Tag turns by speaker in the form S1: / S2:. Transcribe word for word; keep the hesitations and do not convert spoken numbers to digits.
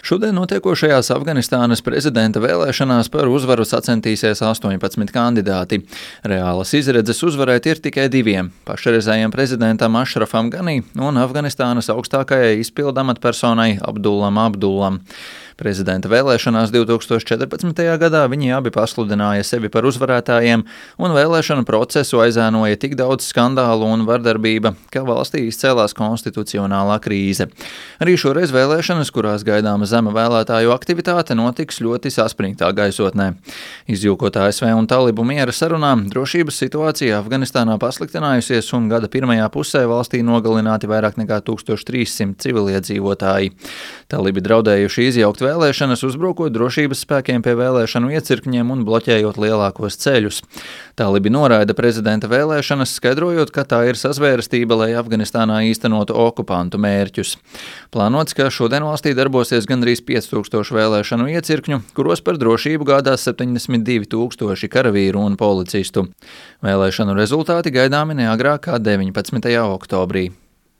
S1: Šodien notiekošajās Afganistānas prezidenta vēlēšanās par uzvaru sacensties astoņpadsmit kandidāti. Reālas izredzes uzvarēt ir tikai diviem - pašreizējiem prezidentam Ašrafam Ganī un Afganistānas augstākajai izpildu amatpersonai Abdullam Abdullam. Prezidenta vēlēšanās divi tūkstoši četrpadsmitajā gadā viņi abi pasludināja sevi par uzvarētājiem, un vēlēšanu procesu aizēnoja tik daudz skandālu un vardarbība, ka valstī izcēlās konstitucionālā krīze. Arī šoreiz vēlēšanas, kurās gaidāma zema vēlētāju aktivitāte, notiks ļoti saspringtā gaisotnē. Izjūkot A S V un talibu miera sarunām, drošības situācija Afganistānā pasliktinājusies, un gada pirmajā pusē valstī nogalināti vairāk nekā tūkstoš trīssimti civiliedzīvotāji. Talibi draudējuši izjaukt vēlēšanas, uzbrukot drošības spēkiem pie vēlēšanu iecirkņiem un bloķējot lielākos ceļus. Talibi noraida prezidenta vēlēšanas, skaidrojot, ka tā ir sazvērestība, lai Afganistānā īstenotu okupantu mērķus. Plānots, ka šodien valstī darbosies gandrīz pieci tūkstoši vēlēšanu iecirkņu, kuros par drošību gādās septiņdesmit divi tūkstoši karavīru un policistu. Vēlēšanu rezultāti gaidāmi neagrāk kā deviņpadsmitajā oktobrī.